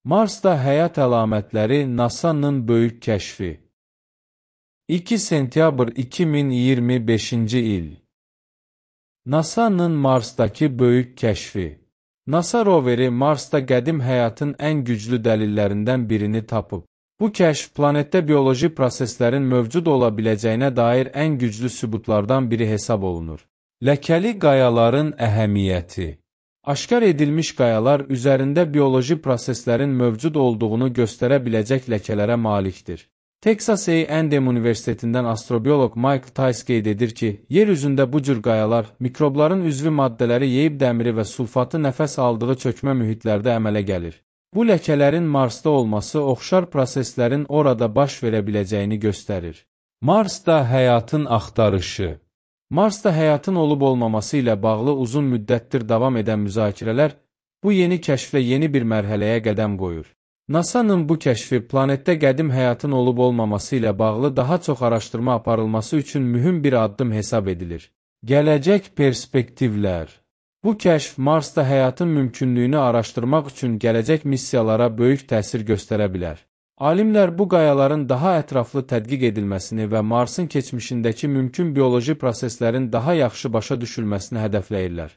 Marsda həyat əlamətləri NASA-nın böyük kəşfi. 2 sentyabr 2025-ci il. NASA-nın Marsdakı böyük kəşfi. NASA roveri Marsda qədim həyatın ən güclü dəlillərindən birini tapıb. Bu kəşf planetdə bioloji proseslərin mövcud ola biləcəyinə dair ən güclü sübutlardan biri hesab olunur. Ləkəli qayaların əhəmiyyəti. Aşkar edilmiş qayalar üzərində bioloji proseslərin mövcud olduğunu göstərə biləcək ləkələrə malikdir. Texas A&M Universitetindən astrobioloq Michael Tice qeyd edir ki, yer üzündə bu cür qayalar mikrobların üzvü maddələri yeyib dəmiri və sulfatı nəfəs aldığı çökmə mühitlərdə əmələ gəlir. Bu ləkələrin Marsda olması oxşar proseslərin orada baş verə biləcəyini göstərir. Marsda həyatın axtarışı. Marsda həyatın olub-olmaması ilə bağlı uzun müddətdir davam edən müzakirələr bu yeni kəşflə yeni bir mərhələyə qədəm qoyur. NASA-nın bu kəşfi planetdə qədim həyatın olub-olmaması ilə bağlı daha çox araşdırma aparılması üçün mühüm bir addım hesab edilir. Gələcək perspektivlər. Bu kəşf Marsda həyatın mümkünlüyünü araşdırmaq üçün gələcək missiyalara böyük təsir göstərə bilər. Alimlər bu qayaların daha ətraflı tədqiq edilməsini və Marsın keçmişindəki mümkün bioloji proseslərin daha yaxşı başa düşülməsini hədəfləyirlər.